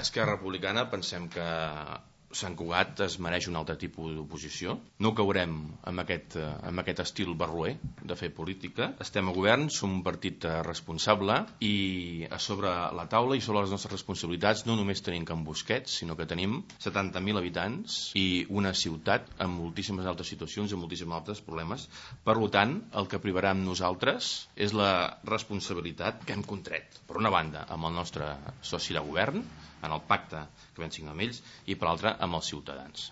Esquerra Republicana pensem que Sant Cugat es mereix un altre tipus d'oposició. No caurem amb aquest estil barroer de fer política. Estem a govern, som un partit responsable i a sobre la taula i sobre les nostres responsabilitats no només tenim Can Busquets, sinó que tenim 70.000 habitants i una ciutat amb moltíssimes altres situacions, amb moltíssims altres problemes. Per tant, el que privarà amb nosaltres és la responsabilitat que hem contret, per una banda, amb el nostre soci de govern, en el pacte que vam signar amb ells, i per l'altra amb els ciutadans.